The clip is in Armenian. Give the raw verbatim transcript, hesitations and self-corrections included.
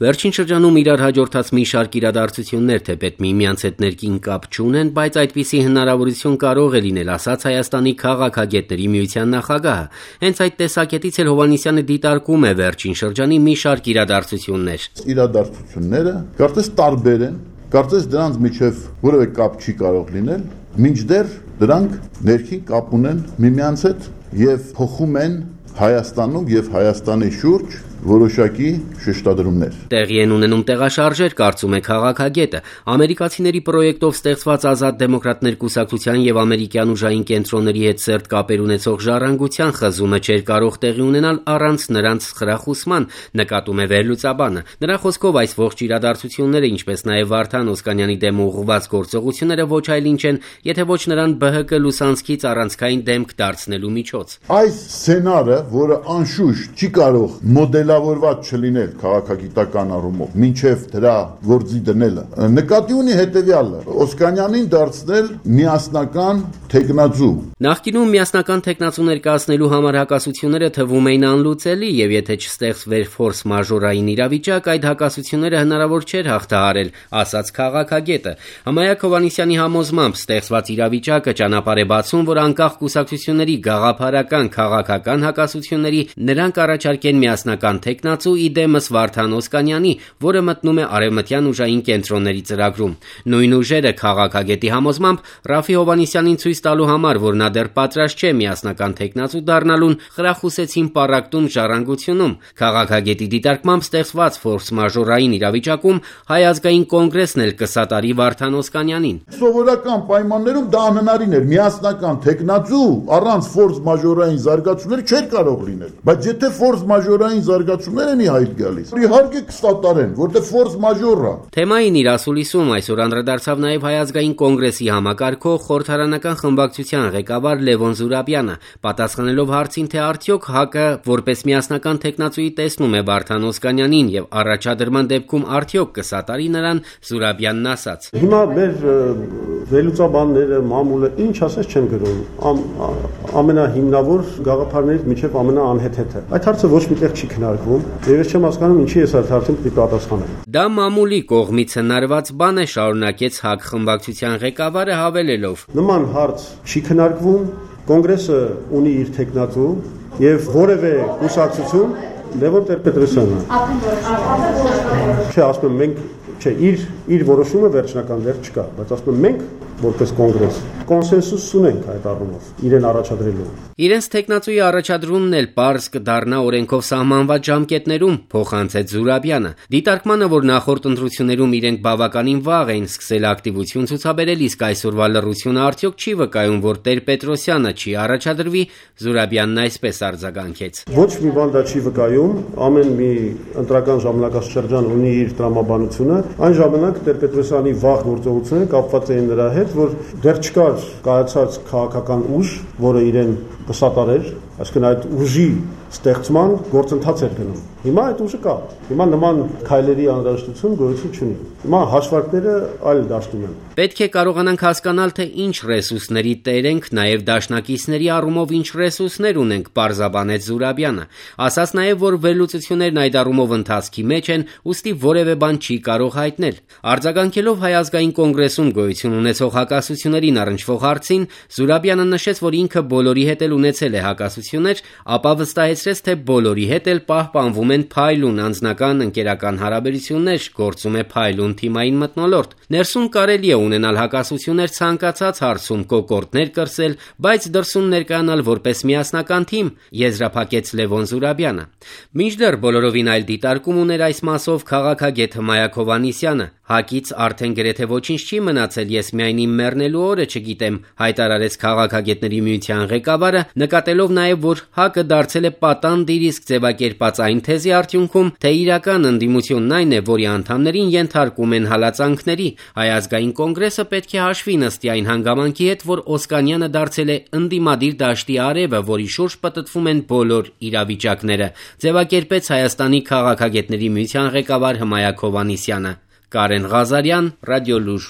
Վերջին շրջանում իրար հաջորդած մի շարք իրադարձություններ թեպետ միմյանց հետ ներքին կապ չունեն, բայց այդպիսի հնարավորություն կարող է լինել, ասաց Հայաստանի քաղաքագետների միության նախագահը։ Հենց այդ տեսակետից էլ Հովհաննիսյանը դիտարկում է վերջին շրջանի մի շարք իրադարձություններ։ Իրադարձությունները կարծես տարբեր են, կարծես դրանց միջև որևէ կապ չի կարող լինել, մինչդեռ դրանք ներքին կապ ունեն միմյանց հետ եւ փոխում են Հայաստանում եւ Հայաստանի շուրջ որոշակի շեշտադրումներ։ Տեղի են ունենում տեղաշարժեր, կարծում է քաղաքագետը։ Ամերիկացիների պրոյեկտով ստեղծված Ազատ դեմոկրատներ կուսակցության եւ ամերիկյան ուժային կենտրոնների հետ սերտ կապեր ունեցող ժառանգության խզումը չէր կարող տեղի ունենալ առանց նրանց խրախուսման, նկատում է վերլուծաբանը։ Նրա խոսքով այս ողջ իրադարձությունները, ինչպես նաեւ Վարդան Օսկանյանի դեմ ուղղված գործողությունները ոչ այլ ինչ են, եթե ոչ նրան Բ Հ Կ լուսանցքից առանցքային դեմք դարձնելու միջոց։ Այս սցենարը, որը անշուշտ չի կարող մոդել Լավորված չլինել քաղաքագիտական առումով, մինչև դրա գործի դնելը, նկատի ունի հետևյալը՝ Օսկանյանին դարձնել միասնական թեկնածու։ Նախկինում միասնական թեկնածու ներկայացնելու համար հակասությունները թվում էին անլուծելի, եւ եթե չստեղծվեր ֆորս մաժորային իրավիճակ, այդ հակասությունները հնարավոր չէր հաղթահարել, ասաց քաղաքագետը։ Հմայակ Հովհաննիսյանի համոզմամբ ստեղծված իրավիճակը ճանապարհ է բացում, որ անկախ կուսակցությունների գաղափարական քաղաքական հակասությունների նրանք առաջարկեն միասնական թեկնածու իդեմս Վարդան Օսկանյանի, որը մտնում է արևմտյան ուժային կենտրոնների ծրագրում։ Նույն ուժերը քաղաքագետի համոզմամբ Ռաֆի Հովհաննիսյանին ցույց տալու համար, որ նա դեռ պատրաստ չէ միասնական թեկնածու դառնալուն, խրախուսեցին պառակտում ժառանգությունում։ Քաղաքագետի դիտարկմամբ ստեղծված ֆորս մաժորային իրավիճակում Հայ ազգային կոնգրեսն էլ կսատարի Վարդան Օսկանյանին։ Սովորական պայմաններում դա անհնարին էր, միասնական թեկնածու առանց ֆորս մաժորային զարգացումների չէր կարող լինել։ Բայց եթե ֆորս մաժորային զարգացումներ են իհայտ գալիս, իհարկե կստատարեն, որտեղ ֆորս մաժորա։ Թեմային իր ասուլիսում այսօր անդրադարձավ նաև Հայ ազգային կոնգրեսի համակարգող խորհրդարանական խմբակցության ղեկավար Լևոն Զուրաբյանը, պատասխանելով հարցին, թե արդյոք ՀԱԿ-ը որպես միասնական թեկնածուի տեսնում է Վարդան Օսկանյանին եւ առաջադրման դեպքում արդյոք կսատարի նրան, Զուրաբյանն ասաց. Հիմա մեր վերլուծաբանները, մամուլը ինչ ասես չեն գրում, ամենահիմնավոր գաղափարներից միջև ամենաանհեթեթը։ Այդ հարցը ոչ միտեղ չի քննարկվում, եւ ես չեմ հասկանում ինչի ես այդ հարցին պիտի պատասխանեմ։ Դա մամուլի կողմից հնարված բան է, շարունակեց ՀԱԿ խմբակցության ղեկավարը հավելելով. Նման հարց չի քննարկվում, կոնգրեսը ունի իր թեկնածու եւ որևէ կուսակցություն Լևոն Տեր-Պետրոսյանը։ Չէ, ասում եմ մենք, չէ, իր իր որոշումը վերջնական դեռ չկա, բայց ասում եմ մենք որպես կոնգրես կոնսենսուս ունենք այդ առումով իրեն առաջադրելու։ Իրենց թեկնածուի առաջադրումն էլ պարզ կդառնա օրենքով սահմանված ժամկետներում, փոխանցեց Զուրաբյանը։ Դիտարկմանը, որ նախորդ ընտրություններում իրենք բավականին վաղ էին սկսել ակտիվություն ցուցաբերել, իսկ այսօրվա լռությունը արդյոք չի վկայում, որ Տեր-Պետրոսյանը չի առաջադրվի, Զուրաբյանն այսպես արձագանքեց. Ոչ մի բան դա չի վկայում, ամեն մի ընտրական ժամանակաշրջան ունի իր տրամաբանությունը, այն ժամանակ Տեր-Պետրոսյանի վաղ գործողությունները կապված էին նրա հետ, որ դեռ չկար կայացած քաղաքական ուժ, որը իրեն կսատարեր, այսինքն այդ ուժի ստեղծման գործընթաց էր գնում։ Հիմա այդ ուժը կա։ Հիմա նման քայլերի անհրաժեշտություն գոյություն չունի։ Հիմա հաշվարկները այլ դաշտում են։ Պետք է կարողանանք հասկանալ, թե ինչ ռեսուրսների տեր ենք, նաև դաշնակիցների առումով ինչ ռեսուրսներ ունենք, պարզաբանեց Զուրաբյանը։ Ասաց նաև, որ վերլուծություններն այդ առումով ընթացքի մեջ են, ուստի որևէ բան չի կարող հայտնել։ Արձագանքելով Հայ ազգային կոնգրեսում գոյություն ունեցող հակասություններին առնչվող հարցին, Զուրաբյանը նշեց, որ ինքը բոլորի հետ էլ ունեցել է հակասություններ, ապա վստահեցրեց, թե բոլորի հետ էլ պահպանվում են փայլուն անձնական ընկերական հարաբերություններ, գործում է փայլուն թիմային մթնոլորտ։ Ներսում կարելի է ունենալ հակասություններ ցանկացած հարցում, կոկորդներ կրսել, բայց դրսում ներկայանալ որպես միասնական թիմ, եզրափակեց Լևոն Զուրաբյանը։ Մինչդեռ բոլորովին այլ դիտարկում ուներ այս մասով քաղաքագետ Հմայակ Հովհաննիսյանը։ ՀԱԿ-ից արդեն գրեթե ոչինչ չի մնացել, ես միայն իմ մեռնելու օրը չգիտեմ, հայտարարեց քաղաքագետների միության ղեկավարը, նկատելով նաև, որ ՀԱԿ-ը դարձել է պատանդ իր իսկ ձևակերպած այն թեզի արդյունքում, թե իրական ընդդիմությունն այն է, որի անդամներին ենթարկում են հալածանքների։ Հայ ազգային կոնգրեսը պետք է հաշվի նստի այն հանգամանքի հետ, որ Օսկանյանը դարձել է ընդդիմադիր դաշտի արևը, որի շուրջ պտտվում են բոլոր իրավիճակները, ձևակերպեց Հայաստանի քաղաքագետների միության ղեկավար Հմայակ Հովհաննիսյանը։ Կարեն Ղազարյան, Ռադիոլուր։